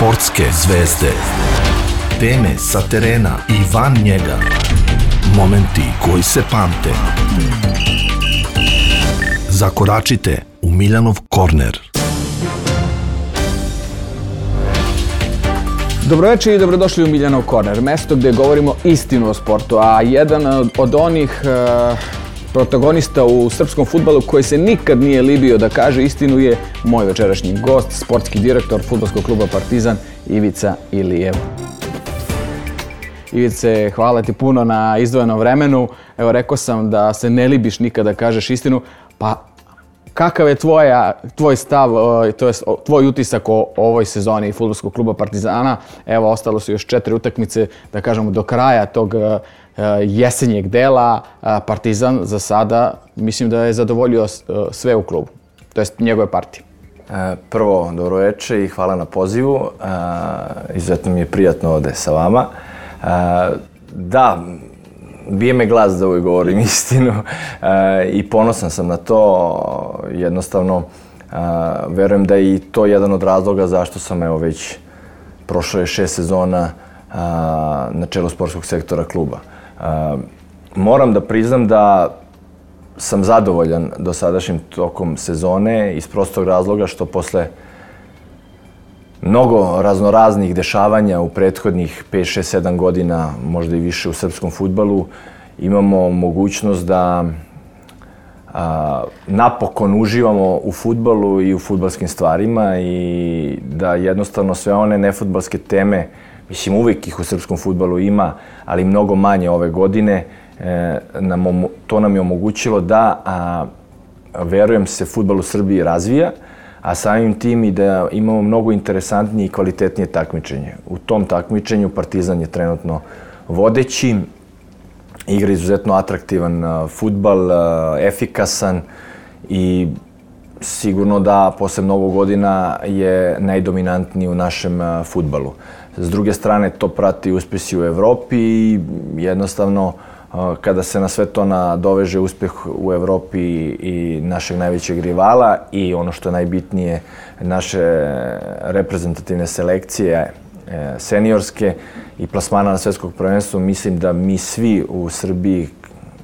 Sportske zvezde. Teme sa terena i van njega. Momenti koji se pamte. Zakoračite u Miljanov korner. Dobroveče i dobrodošli u Miljanov korner, mesto gdje govorimo istinu o sportu, a jedan od onih protagonista u srpskom fudbalu koji se nikad nije libio da kaže istinu je moj večerašnji gost, sportski direktor fudbalskog kluba Partizan, Ivica Ilijev. Ivice, hvala ti puno na izdvojenom vremenu. Evo, rekao sam da se ne libiš nikad da kažeš istinu, pa kakav je tvoj stav, to jest tvoj utisak o ovoj sezoni fudbalskog kluba Partizana? Evo, ostalo su još 4 utakmice, da kažemo, do kraja tog jesenjeg dela. Partizan za sada mislim da je zadovoljio sve u klubu, to jest njegove partije. Prvo, dobroveče i hvala na pozivu. Izuzetno mi je prijatno ovdje sa vama. Da, bije me glas da uvijek govorim istinu i ponosan sam na to. Jednostavno, verujem da je i to jedan od razloga zašto sam već prošlo je 6 sezona na čelu sportskog sektora kluba. Moram da priznam da sam zadovoljan dosadašnjim tokom sezone iz prostog razloga što posle mnogo raznoraznih dešavanja u prethodnih 5, 6, 7 godina, možda i više u srpskom fudbalu, imamo mogućnost da napokon uživamo u fudbalu i u fudbalskim stvarima i da jednostavno sve one nefudbalske teme, mislim uvijek ih u srpskom fudbalu ima, ali mnogo manje ove godine, to nam je omogućilo da, verujem se, fudbal u Srbiji razvija, a samim tim i da imamo mnogo interesantnije i kvalitetnije takmičenje. U tom takmičenju Partizan je trenutno vodeći, igra izuzetno atraktivan fudbal, efikasan i sigurno da posle mnogo godina je najdominantniji u našem fudbalu. S druge strane, to prati uspjesi u Evropi i jednostavno kada se na sve to nadoveže uspjeh u Evropi i našeg najvećeg rivala i ono što je najbitnije, naše reprezentativne selekcije seniorske i plasmana na svjetskog prvenstva, mislim da mi svi u Srbiji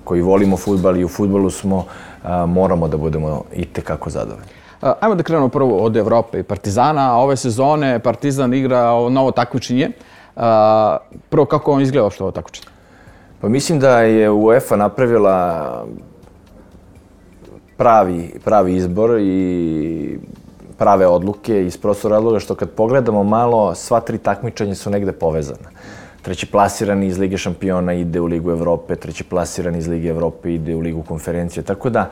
koji volimo fudbal i u fudbalu smo, moramo da budemo itekako zadovoljni. Ajmo da krenemo prvo od Evrope i Partizana. Ove sezone Partizan igra novo takmičenje. Prvo, kako on izgleda što ovo takmičenje? Pa mislim da je UEFA napravila pravi izbor i prave odluke iz prostog razloga što kad pogledamo malo, sva 3 takmičenja su negde povezana. Treći plasirani iz Lige šampiona ide u Ligu Evrope, treći plasirani iz Lige Evrope ide u Ligu konferencije. Tako da,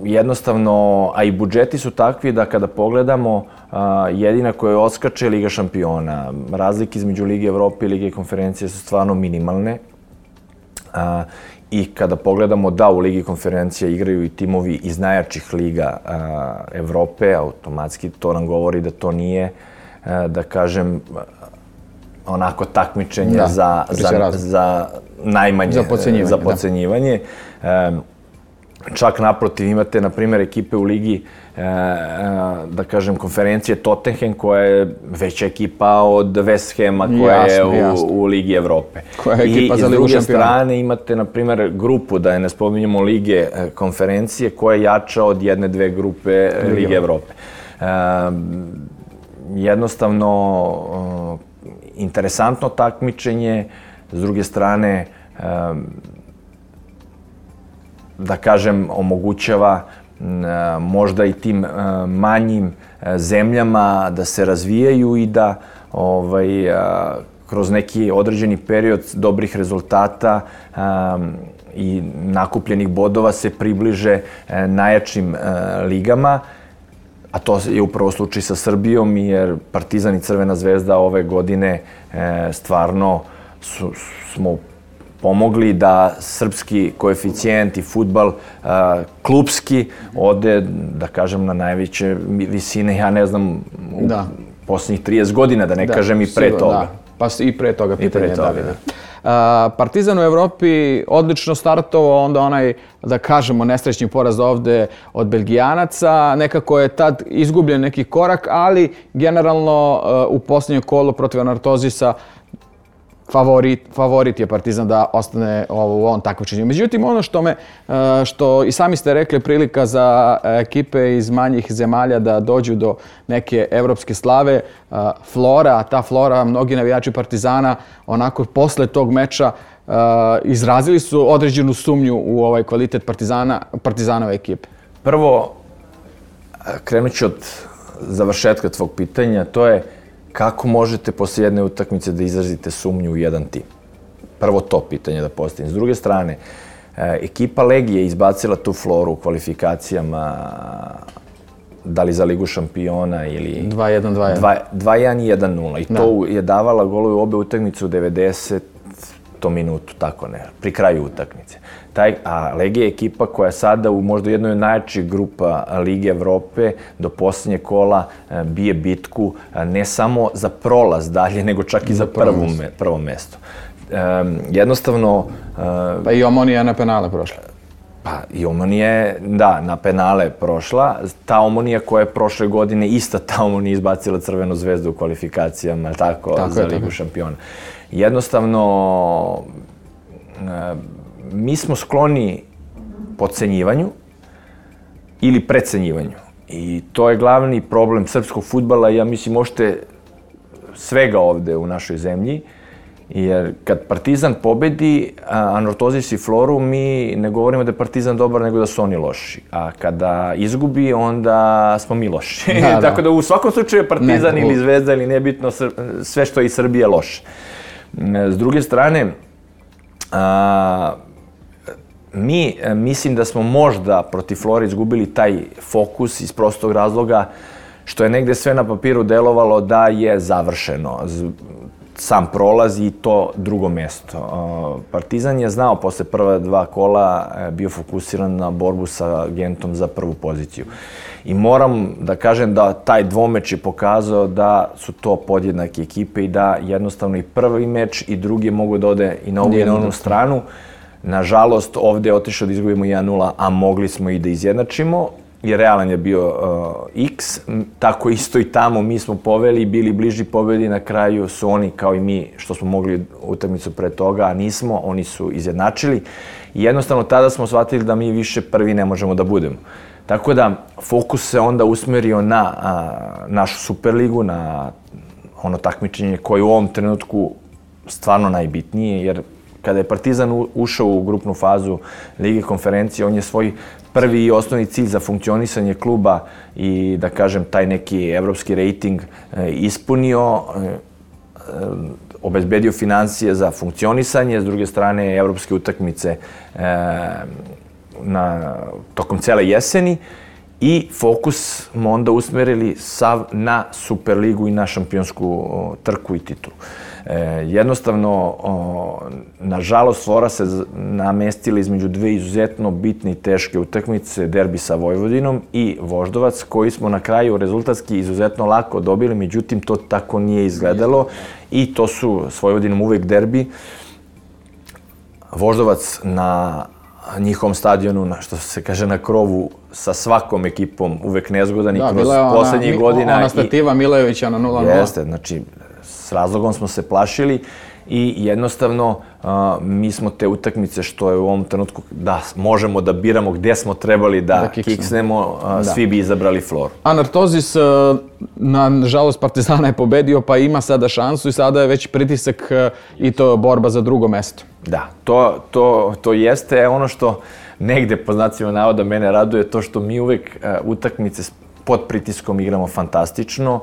jednostavno, a i budžeti su takvi da kada pogledamo, jedina koja odskače je Liga šampiona. Razlike između Lige Evrope i Lige konferencije su stvarno minimalne. I kada pogledamo da u Ligi konferencija igraju i timovi iz najjačih liga Evrope, automatski to nam govori da to nije, da kažem, onako takmičenje za najmanje, za podcenjivanje. Čak naprotiv, imate, na primjer, ekipe u ligi, da kažem, konferencije Tottenham, koja je veća ekipa od West Hama, koja je u Ligi Evrope. I s druge strane imate, na primjer, grupu, da je ne spominjamo Lige konferencije, koja je jača od 1-2 grupe Lige Evrope. Jednostavno, interesantno takmičenje, s druge strane, da kažem, omogućava možda i tim manjim zemljama da se razvijaju i da kroz neki određeni period dobrih rezultata i nakupljenih bodova se približe najjačim ligama. A to je upravo slučaj sa Srbijom, jer Partizan i Crvena zvezda ove godine stvarno smo pomogli da srpski koeficijent i fudbal klubski ode, da kažem, na najveće visine, ja ne znam, u posljednjih 30 godina, da ne kažem i pre toga. Pa i pre toga pitanje. Partizan u Evropi odlično startovao, onda onaj, da kažemo, nesrećni poraz ovde od Belgijanaca. Nekako je tad izgubljen neki korak, ali generalno u posljednjem kolu protiv Anorthosisa favorit je Partizan da ostane u ovom takmičenju. Međutim, ono što i sami ste rekli, prilika za ekipe iz manjih zemalja da dođu do neke evropske slave, ta Flora, mnogi navijači Partizana, onako posle tog meča izrazili su određenu sumnju u ovaj kvalitet Partizanove ekipe. Prvo, krenut ću od završetka tvog pitanja, to je kako možete poslije jedne utakmice da izrazite sumnju u jedan tim? Prvo to pitanje da postavim. S druge strane, ekipa Legije je izbacila tu Floru u kvalifikacijama, da li za Ligu šampiona ili... 2-1. 2-1 i 1-0. I to je davala golove u obe utakmice u 90. minutu, tako ne, pri kraju utakmice. A Legija je ekipa koja sada u možda jednoj od najjačih grupa Lige Evrope do posljednjeg kola bije bitku ne samo za prolaz dalje, nego čak i za prvo mesto. Jednostavno... Pa i Omonija je na penale prošla. Pa i Omonija je, da, na penale prošla. Ta Omonija koja je prošle godine, ista ta Omonija izbacila Crvenu zvezdu u kvalifikacijama, tako za Ligu šampiona. Jednostavno, mi smo skloni podcenjivanju ili precenjivanju. I to je glavni problem srpskog fudbala i ja mislim možete svega ovde u našoj zemlji. Jer kad Partizan pobedi Anorthosis i Floru, mi ne govorimo da je Partizan dobar, nego da su oni loši. A kada izgubi, onda smo mi loši. Tako da u svakom slučaju je Partizan ili Zvezda ili nebitno, sve što je iz Srbije loše. S druge strane, mi mislim da smo možda protiv Flore izgubili taj fokus iz prostog razloga što je negde sve na papiru delovalo da je završeno. Sam prolaz i to drugo mesto. Partizan je znao posle prva dva kola, bio fokusiran na borbu sa Gentom za prvu poziciju. I moram da kažem da taj dvomeč je pokazao da su to podjednake ekipe i da jednostavno i prvi meč i drugi mogu da ode i na ovu i na onu stranu. Nažalost, ovde je otišao da izgubimo 1-0, a mogli smo i da izjednačimo. I realan je bio X, tako isto i tamo mi smo poveli i bili bliži pobedi, na kraju su oni kao i mi što smo mogli utakmicu pre toga, a nismo, oni su izjednačili i jednostavno tada smo shvatili da mi više prvi ne možemo da budemo. Tako da fokus se onda usmerio na našu Superligu, na ono takmičenje koje je u ovom trenutku stvarno najbitnije, jer kada je Partizan ušao u grupnu fazu Lige konferencije, on je svoj prvi i osnovni cilj za funkcionisanje kluba i, da kažem, taj neki evropski rejting ispunio, obezbedio financije za funkcionisanje, s druge strane evropske utakmice tokom cele jeseni i fokus smo onda usmerili sav na Superligu i na šampionsku trku i titulu. Jednostavno, nažalost, Flora se namestila između dve izuzetno bitne i teške utakmice, derbi sa Vojvodinom i Voždovac, koji smo na kraju rezultatski izuzetno lako dobili, međutim, to tako nije izgledalo i to su s Vojvodinom uvek derbi. Voždovac na njihovom stadionu, što se kaže na krovu, sa svakom ekipom uvek nezgodan i kroz poslednjih godina. Ona stativa Milojevića na 0-0. Jeste, znači, s razlogom smo se plašili i jednostavno mi smo te utakmice što je u ovom trenutku da možemo da biramo gde smo trebali da kiksnemo, svi bi izabrali Floru. Anorthosis, nažalost, Partizana je pobedio pa ima sada šansu i sada je već pritisak i to borba za drugo mesto. Da, to jeste ono što negde po znacima navoda mene raduje, to što mi uvek utakmice pod pritiskom igramo fantastično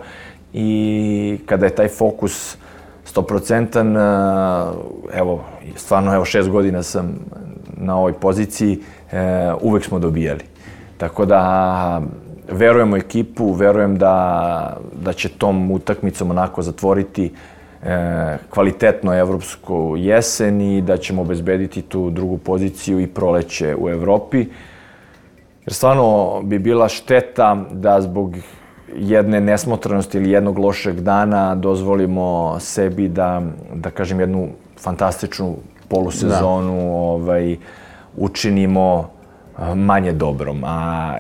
i kada je taj fokus 100%, evo, stvarno, 6 godina sam na ovoj poziciji, uvek smo dobijali. Tako da, verujemo ekipu, verujem da će tom utakmicom onako zatvoriti kvalitetno evropsku jesen i da ćemo obezbediti tu drugu poziciju i proleće u Evropi. Jer stvarno bi bila šteta da zbog jedne nesmotrenosti ili jednog lošeg dana dozvolimo sebi da kažem, jednu fantastičnu polusezonu učinimo manje dobrom. A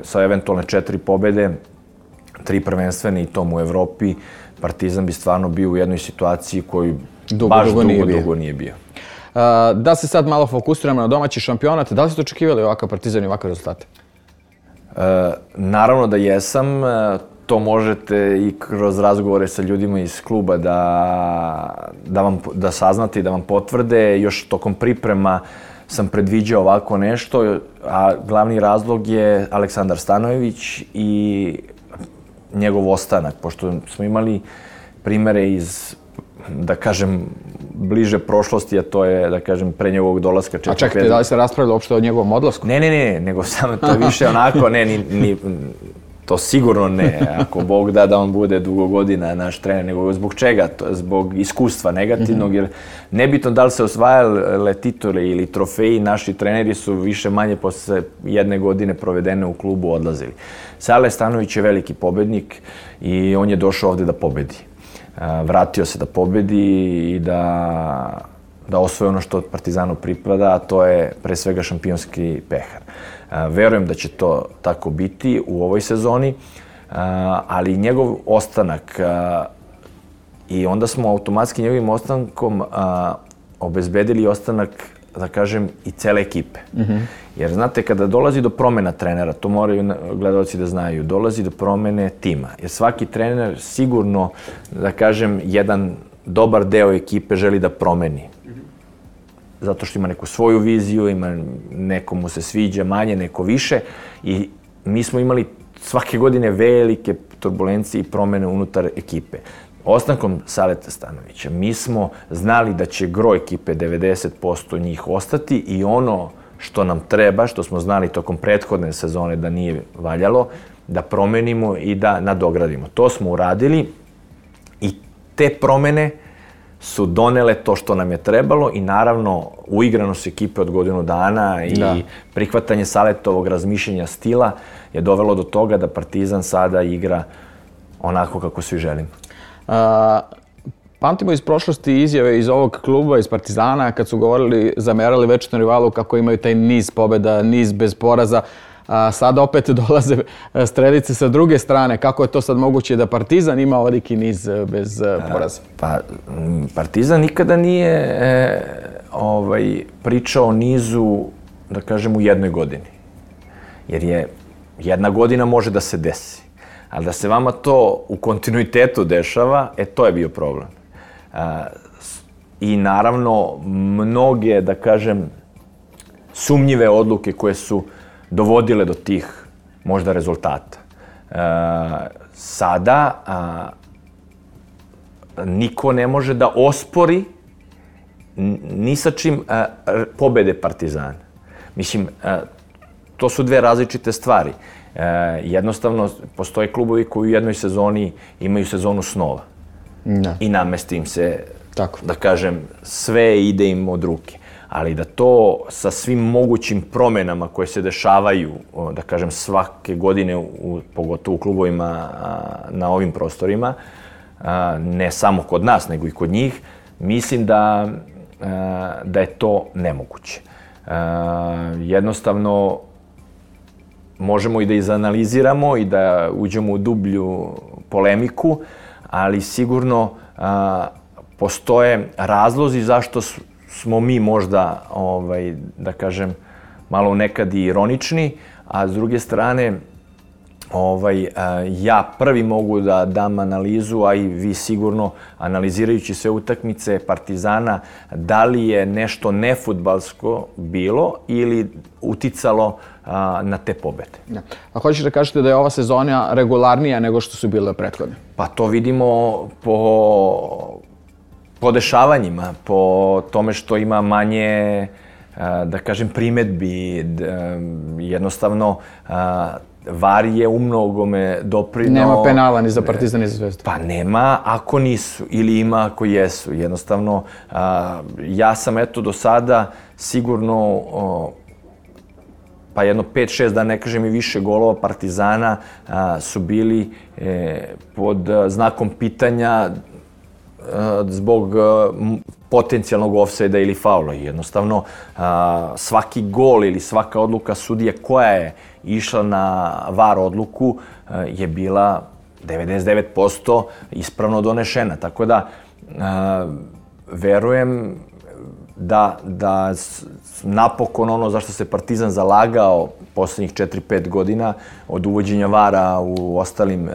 sa eventualne 4 pobede, 3 prvenstvene i tom u Evropi, Partizan bi stvarno bio u jednoj situaciji koju baš dugo nije bio. Da se sad malo fokusiramo na domaći šampionat, da li ste očekivali ovakav Partizan i ovakve rezultate? Naravno da jesam. To možete i kroz razgovore sa ljudima iz kluba da saznate i da vam potvrde. Još tokom priprema sam predviđao ovako nešto, a glavni razlog je Aleksandar Stanojević i njegov ostanak, pošto smo imali primere iz, da kažem, bliže prošlosti, a to je, da kažem, pre njegovog dolaska. A čekajte, da li se raspravilo uopšte o njegovom odlasku? Ne, nego samo to više onako, to sigurno ne, ako Bog da on bude dugo godina naš trener, nego zbog čega? Zbog iskustva negativnog, jer nebitno da li se osvajale titule ili trofeji, naši treneri su više manje posle jedne godine provedene u klubu odlazili. Sale Stanović je veliki pobednik i on je došao ovde da pobedi. Vratio se da pobedi i da osvoje ono što Partizanu pripada, a to je pre svega šampionski pehar. Verujem da će to tako biti u ovoj sezoni, ali njegov ostanak i onda smo automatski njegovim ostankom obezbedili ostanak, da kažem, i cele ekipe. Jer znate, kada dolazi do promena trenera, to moraju gledalci da znaju, dolazi do promene tima. Jer svaki trener sigurno, da kažem, jedan dobar deo ekipe želi da promeni. Zato što ima neku svoju viziju, neko mu se sviđa manje, neko više. I mi smo imali svake godine velike turbulencije i promene unutar ekipe. Ostankom Saleta Stanovića mi smo znali da će gro ekipe, 90% njih, ostati i ono što nam treba, što smo znali tokom prethodne sezone da nije valjalo, da promenimo i da nadogradimo. To smo uradili i te promene su donele to što nam je trebalo i naravno uigranost ekipe od godinu dana i prihvatanje Saletovog razmišljenja stila je dovelo do toga da Partizan sada igra onako kako svi želimo. Pamtimo iz prošlosti izjave iz ovog kluba, iz Partizana, kad su zamerali večnom rivalu kako imaju taj niz pobjeda, niz bez poraza. Sada opet dolaze strelice sa druge strane. Kako je to sad moguće da Partizan ima ovoliki niz bez poraza? Pa, Partizan nikada nije pričao o nizu, da kažem, u jednoj godini. Jer jedna godina može da se desi. Ali da se vama to u kontinuitetu dešava, to je bio problem. I naravno, mnoge, da kažem, sumnjive odluke koje su dovodile do tih možda rezultata. Sada niko ne može da ospori ni sa čim pobede Partizana. Mislim, to su dve različite stvari. Jednostavno, postoje klubovi koji u jednoj sezoni imaju sezonu snova. I namesti im se, da kažem, sve ide im od ruke. Ali da to sa svim mogućim promenama koje se dešavaju, da kažem, svake godine, pogotovo u klubovima na ovim prostorima, ne samo kod nas, nego i kod njih, mislim da je to nemoguće. Jednostavno, možemo i da izanaliziramo i da uđemo u dublju polemiku, ali sigurno postoje razlozi zašto smo mi možda, da kažem, malo nekad i ironični, a s druge strane, ja prvi mogu da dam analizu, a i vi sigurno, analizirajući sve utakmice Partizana, da li je nešto nefudbalsko bilo ili uticalo na te pobede. A hoćeš da kažete da je ova sezona regularnija nego što su bile prethodne? Pa to vidimo po dešavanjima, po tome što ima manje, da kažem, primetbi. Jednostavno, VAR je u mnogome doprineo... Nema penala ni za Partizan ni za Zvezdu. Pa nema ako nisu, ili ima ako jesu. Jednostavno, ja sam do sada sigurno, pa jedno 5-6, da ne kažem i više golova Partizana su bili pod znakom pitanja zbog potencijalnog ofsajda ili faula. Jednostavno, svaki gol ili svaka odluka sudije koja je išla na VAR odluku je bila 99% ispravno donešena. Tako da, verujem da napokon ono zašto se Partizan zalagao poslednjih 4-5 godina od uvođenja VAR-a u ostalim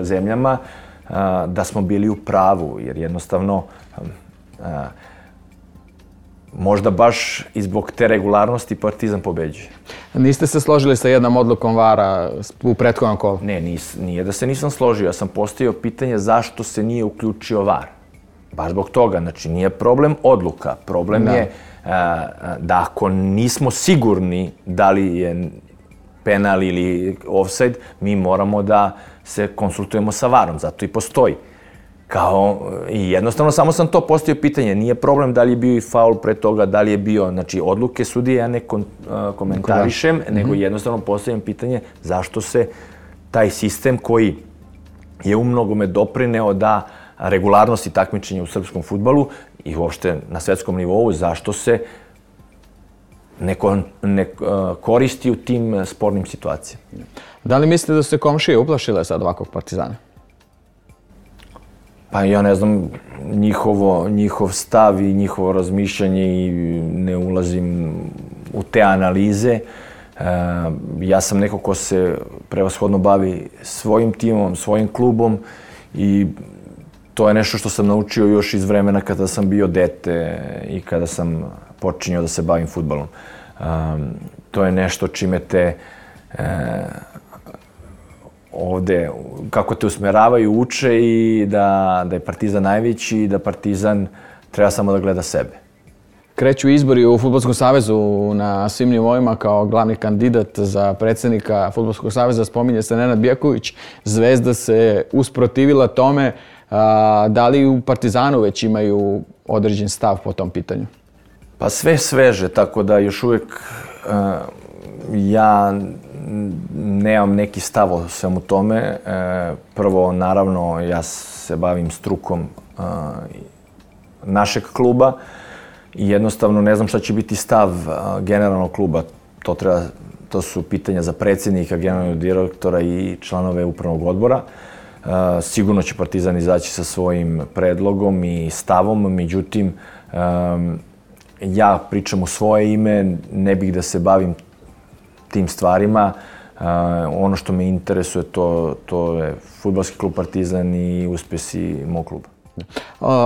zemljama, da smo bili u pravu, jer jednostavno možda baš i zbog te regularnosti Partizan pobeđuje. Niste se složili sa jednom odlukom VAR-a u prethodnom kolu? Ne, nije da se nisam složio. Ja sam postavio pitanje zašto se nije uključio VAR. Baš zbog toga. Znači, nije problem odluka. Problem je da ako nismo sigurni da li je penal ili ofsajd, mi moramo da se konsultujemo sa VAR-om. Zato i postoji. I jednostavno samo sam to postavio pitanje. Nije problem da li je bio i faul pre toga, da li je bio, znači odluke sudije ja ne komentarišem, nego jednostavno postavljam pitanje zašto se taj sistem koji je u mnogome doprineo da regularnosti takmičenja u srpskom fudbalu i uopšte na svetskom nivou, zašto se ne koristi u tim spornim situacijama. Da li mislite da su se komšije uplašile sad ovakvog Partizana? Pa ja ne znam njihov stav i njihovo razmišljanje i ne ulazim u te analize. Ja sam neko ko se prevashodno bavi svojim timom, svojim klubom i to je nešto što sam naučio još iz vremena kada sam bio dete i kada sam počinjao da se bavim fudbalom. To je nešto čime te ovde, kako te usmeravaju, uče i da je Partizan najveći i da Partizan treba samo da gleda sebe. Kreću izbori u Fudbalskom savezu na svim nivoima kao glavni kandidat za predsjednika Fudbalskog saveza. Spominje se Nenad Bjeković. Zvezda se usprotivila tome. Da li u Partizanu već imaju određen stav po tom pitanju? Pa sve sveže, tako da još uvijek ja nemam neki stav o svemu tome. Prvo, naravno, ja se bavim strukom našeg kluba i jednostavno ne znam šta će biti stav generalnog kluba. To su pitanja za predsjednika, generalnog direktora i članove upravnog odbora. Sigurno će Partizan izaći sa svojim predlogom i stavom, međutim, ja pričam u svoje ime, ne bih da se bavim tim stvarima. Ono što me interesuje, to je fudbalski klub Partizan i uspjesi mog kluba.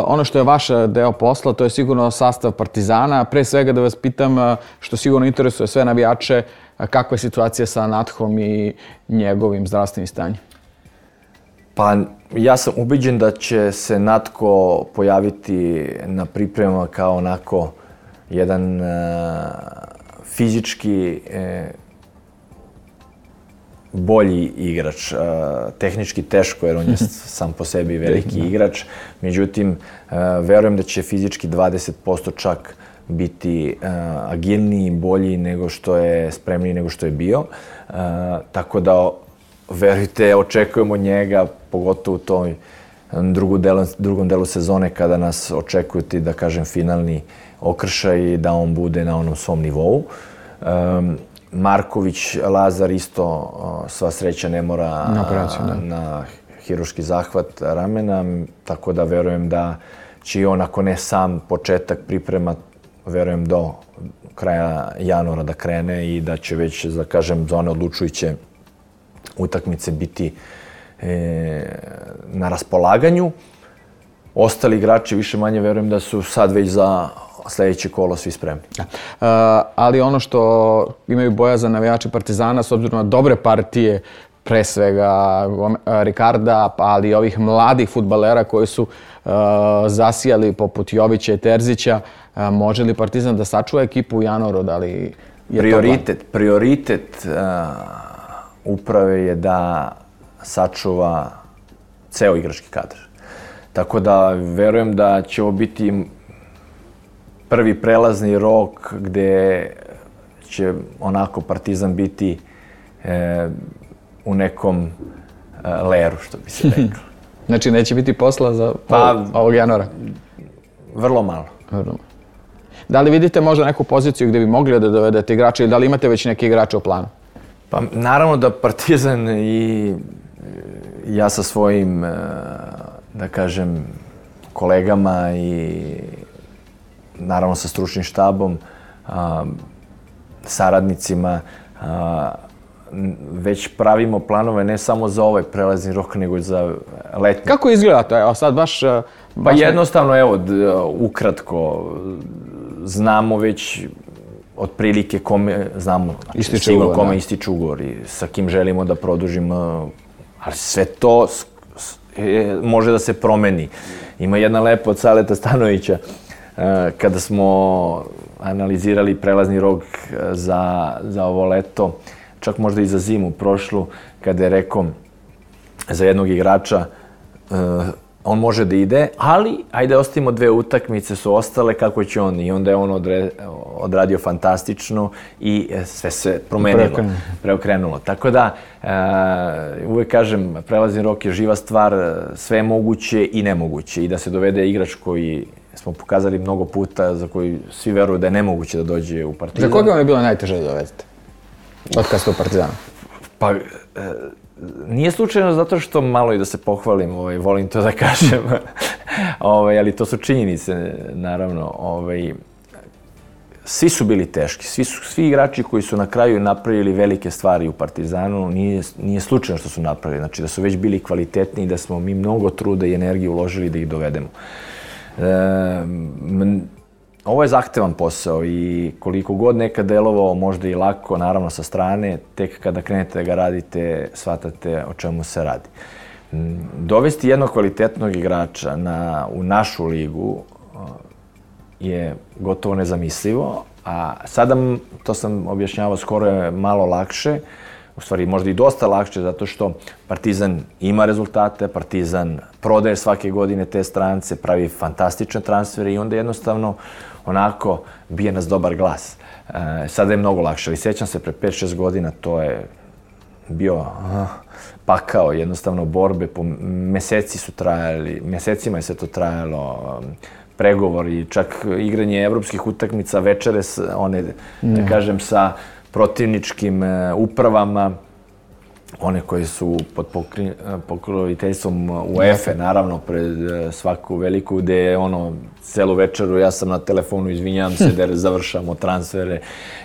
Ono što je vaš deo posla, to je sigurno sastav Partizana. Pre svega da vas pitam, što sigurno interesuje sve navijače, kakva je situacija sa Nathom i njegovim zdravstvenim stanjem? Pa ja sam ubeđen da će se Natko pojaviti na pripremama kao onako jedan fizički bolji igrač. Tehnički teško jer on je sam po sebi veliki igrač. Međutim, verujem da će fizički 20% čak biti agilniji, bolji nego što je, spremniji nego što je bio. Tako da, verujte, očekujemo njega, pogotovo u toj drugom delu sezone kada nas očekuju ti, da kažem, finalni okršaj i da on bude na onom svom nivou. Marković, Lazar isto, sva sreća, ne mora na hirurški zahvat ramena, tako da verujem da će i on, ako ne sam početak priprema, verujem do kraja januara da krene i da će već, da kažem, za one odlučujuće utakmice biti na raspolaganju. Ostali igrači, više manje, verujem da su sad već za sljedeće kolo svi spremni. Ali ono što imaju bojazan navijači Partizana, s obzirom na dobre partije, pre svega Ricarda, ali i ovih mladih fudbalera koji su zasijali poput Jovića i Terzića, može li Partizan da sačuva ekipu u januaru? Da li je prioritet uprave je da sačuva ceo igrački kadar. Tako da verujem da će ovo biti prvi prelazni rok gde će onako Partizan biti u nekom leru, što bi se reklo. Znači neće biti posla za ovog januara? Vrlo malo. Da li vidite možda neku poziciju gdje bi mogli da dovedete igrače ili da li imate već neke igrače u planu? Pa naravno da Partizan i ja sa svojim, da kažem, kolegama i naravno sa stručnim štabom, saradnicima, već pravimo planove ne samo za ovaj prelazni rok, nego i za letnji. Kako izgleda to? Evo sad baš... Pa jednostavno, evo, ukratko, znamo već otprilike kome, znamo sigurno kome ističu ugovori, sa kim želimo da produžimo, ali sve to može da se promeni. Ima jedna lepa od Saleta Stanovića, kada smo analizirali prelazni rok za ovo leto, čak možda i za zimu prošlu, kada je rekao za jednog igrača, on može da ide, ali ajde ostavimo 2 utakmice su ostale, kako će on? I onda je on odradio fantastično i sve se promenilo, preokrenulo. Tako da, uvek kažem, prelazni rok je živa stvar, sve je moguće i nemoguće. I da se dovede igrač koji smo pokazali mnogo puta, za koji svi veruju da je nemoguće da dođe u Partizan. Za koga vam je bilo najteže da dovedete? Od kad ste u Partizanu? Pa, nije slučajno zato što malo i da se pohvalim, volim to da kažem, ali to su činjenice, naravno. Svi su bili teški, svi igrači koji su na kraju napravili velike stvari u Partizanu, nije slučajno što su napravili, znači da su već bili kvalitetni i da smo mi mnogo truda i energije uložili da ih dovedemo. Ovo je zahtevan posao i koliko god nekad delovao možda i lako, naravno sa strane, tek kada krenete da ga radite, shvatate o čemu se radi. Dovesti jednog kvalitetnog igrača u našu ligu je gotovo nezamislivo, a sada, to sam objašnjavao, skoro je malo lakše, u stvari možda i dosta lakše, zato što Partizan ima rezultate, Partizan prodaje svake godine te strance, pravi fantastične transfere i onda jednostavno onako bije nas dobar glas. Sada je mnogo lakše, ali sjećam se pre 5-6 godina, to je bio pakao, jednostavno borbe, po meseci su trajali, mesecima je sve to trajalo, pregovori, čak igranje evropskih utakmica, večere, one, da kažem, sa protivničkim upravama, one koje su pod pokroviteljstvom UEFA, naravno, pred svaku veliku, gde je celu večeru ja sam na telefonu, izvinjavam se da završamo transfere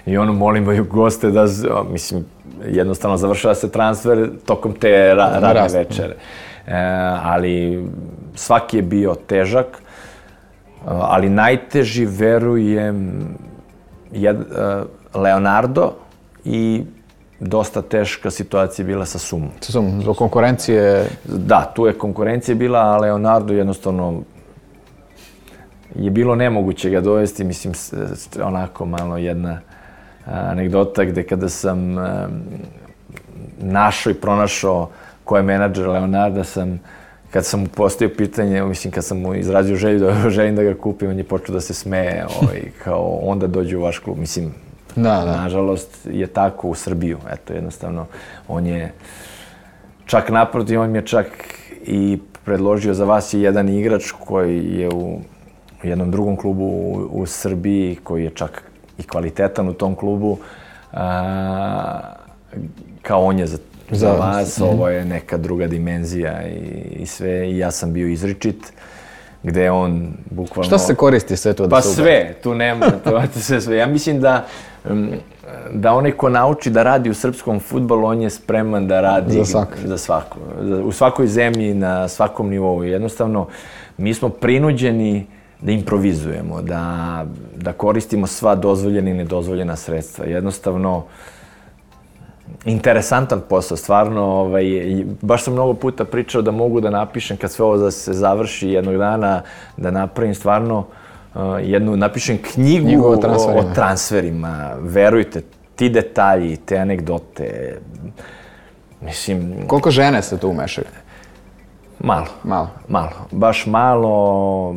i molimo goste da, mislim, jednostavno završava se transfer tokom te radne večere. Ali svaki je bio težak, ali najteži, verujem, Leonardo i dosta teška situacija bila sa Sumom. Sa Sumom, zbog konkurencije? Da, tu je konkurencija bila, a Leonardo jednostavno je bilo nemoguće ga dovesti. Mislim, onako malo jedna anegdota gde kada sam našao i pronašao ko je menadžer Leonarda, kad sam mu postavio pitanje, mislim, kad sam mu izrazio želim da ga kupim, on je počeo da se smeje, kao onda dođe u vaš klub. Mislim, nažalost je tako u Srbiju. Eto, jednostavno, on je čak naprotiv, on mi je čak i predložio za vas je jedan igrač koji je u jednom drugom klubu u Srbiji, koji je čak i kvalitetan u tom klubu, kao on je za vas, ovo je neka druga dimenzija i sve, i ja sam bio izričit, gde je on bukvalno... Šta se koristi sve to? Pa sve, tu nema, sve. Ja mislim da onaj ko nauči da radi u srpskom fudbalu, on je spreman da radi za svaku. U svakoj zemlji, na svakom nivou. Jednostavno, mi smo prinuđeni da improvizujemo, da koristimo sva dozvoljena i nedozvoljena sredstva. Jednostavno, interesantan posao, stvarno, baš sam mnogo puta pričao da mogu da napišem, kad sve ovo se završi jednog dana, da napravim stvarno napišem knjigu o transferima. Verujte, ti detalji, te anegdote, mislim... Koliko žene se tu umešaju? Malo. Baš malo,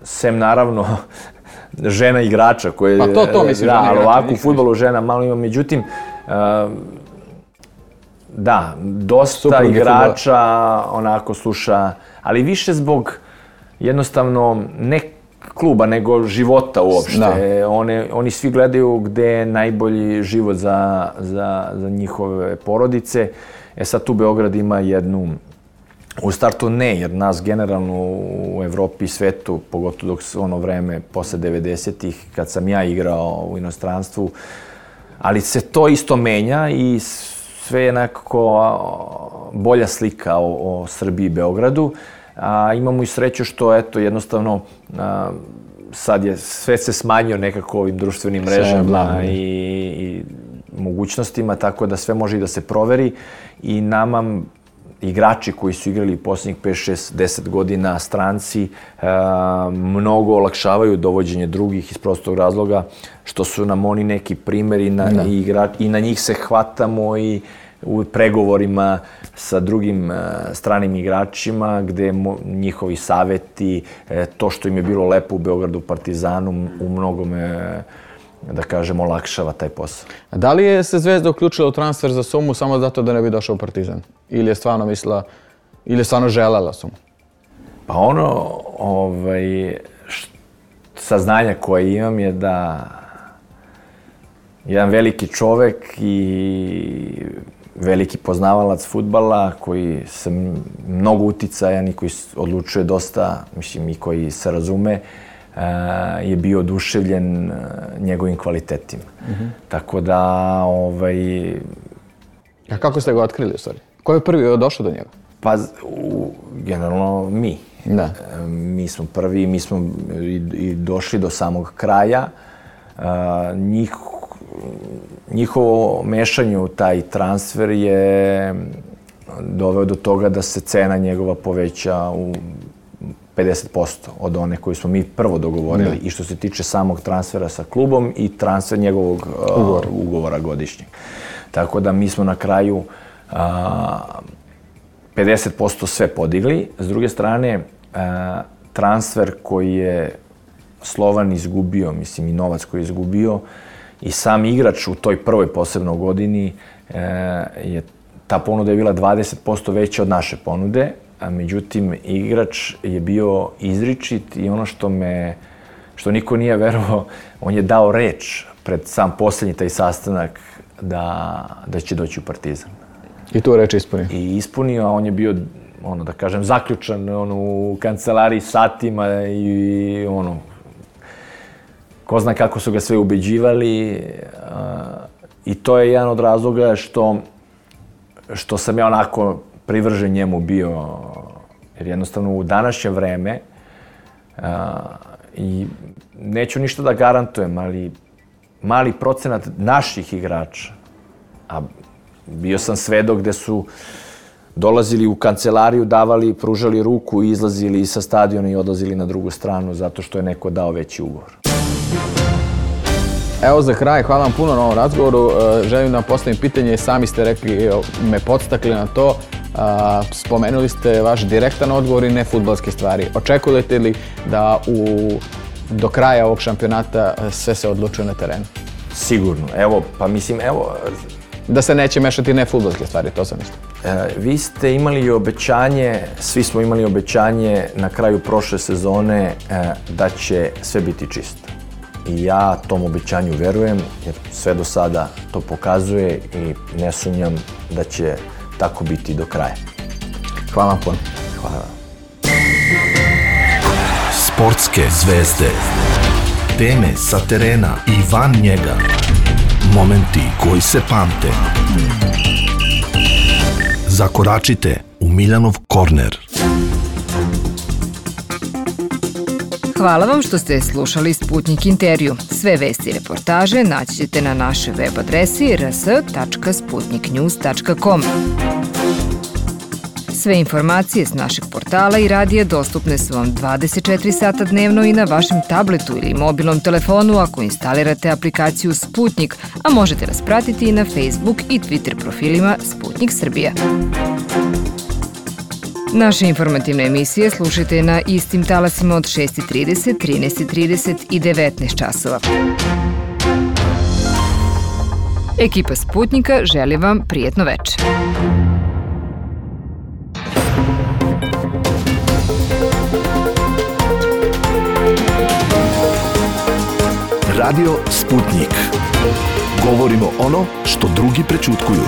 sem naravno žena igrača koje... Pa to mislim, žena igrača. Ali ovako u fudbalu žena malo ima, međutim, Da, dosta igrača onako sluša, ali više zbog jednostavno ne kluba, nego života uopšte. Oni svi gledaju gde je najbolji život za njihove porodice. Sad tu Beograd ima jednu, u startu ne, jer nas generalno u Evropi i svetu, pogotovo dok se ono vreme posle 90-ih, kad sam ja igrao u inostranstvu, ali se to isto menja i sve je nekako bolja slika o Srbiji i Beogradu. Imamo i sreću što, eto, jednostavno, sad je sve se smanjio nekako ovim društvenim mrežama i mogućnostima, tako da sve može i da se proveri i nama igrači koji su igrali poslednjih 5, 6, 10 godina, stranci, mnogo olakšavaju dovođenje drugih iz prostog razloga, što su nam oni neki primjeri i na njih se hvatamo i u pregovorima sa drugim stranim igračima, gde njihovi saveti, to što im je bilo lepo u Beogradu, Partizanu, u mnogome, da kažem, olakšava taj posao. A da li je se Zvezda uključila u transfer za Sumu samo zato da ne bi došao u Partizan? Ili je stvarno mislila, ili je stvarno želela Sumu? Pa ono, saznanja koje imam je da jedan veliki čovek i veliki poznavalac fudbala koji se mnogo uticajan i koji odlučuje dosta, mislim i koji se razume, je bio oduševljen njegovim kvalitetima. Tako da, A kako ste ga otkrili u stvari? Ko je prvi došao do njega? Pa, generalno mi. Da. Mi smo prvi, mi smo i došli do samog kraja. Njihovo mešanje u taj transfer je doveo do toga da se cena njegova poveća u 50% od one koju smo mi prvo dogovorili i što se tiče samog transfera sa klubom i transfer njegovog ugovora godišnjeg. Tako da mi smo na kraju 50% sve podigli. S druge strane, transfer koji je Slovan izgubio, mislim i novac koji je izgubio, i sam igrač u toj prvoj posebno godini, ta ponuda je bila 20% veća od naše ponude, a međutim igrač je bio izričit i ono što niko nije verovao, on je dao reč pred sam posljednji taj sastanak da će doći u Partizan. I tu reč ispunio? I ispunio, a on je bio, da kažem, zaključan u kancelariji satima i ko zna kako su ga sve ubeđivali i to je jedan od razloga što sam ja onako privržen njemu bio, jer jednostavno u današnje vreme i neću ništa da garantujem, ali mali procenat naših igrača, a bio sam svedok gde su dolazili u kancelariju, davali, pružali ruku i izlazili sa stadiona i odlazili na drugu stranu zato što je neko dao veći ugovor. Evo za kraj, hvala vam puno na ovom razgovoru. Želim da vam postavim pitanje, sami ste rekli, me podstakli na to. Spomenuli ste vaš direktan odgovor i ne fudbalske stvari. Očekujete li da do kraja ovog šampionata sve se odlučuje na terenu? Sigurno. Da se neće mešati ne fudbalske stvari, to sam mislio. Vi ste imali obećanje, svi smo imali obećanje na kraju prošle sezone da će sve biti čisto. I ja tom obećanju verujem, jer sve do sada to pokazuje i ne sumnjam da će tako biti do kraja. Hvala vam puno. Hvala vam. Sportske zvezde. Teme sa terena i van njega. Momenti koji se pamte. Zakoračite u Miljanov korner. Hvala vam što ste slušali Sputnik intervju. Sve vesti i reportaže naći ćete na našoj web adresi rs.sputniknews.com. Sve informacije s našeg portala i radija dostupne su vam 24 sata dnevno i na vašem tabletu ili mobilnom telefonu ako instalirate aplikaciju Sputnik, a možete nas pratiti i na Facebook i Twitter profilima Sputnik Srbija. Naše informativne emisije slušajte na istim talasima od 6:30, 13:30 i 19 časova. Ekipa Sputnika želi vam prijetno večer. Radio Sputnik. Govorimo ono što drugi prećutkuju.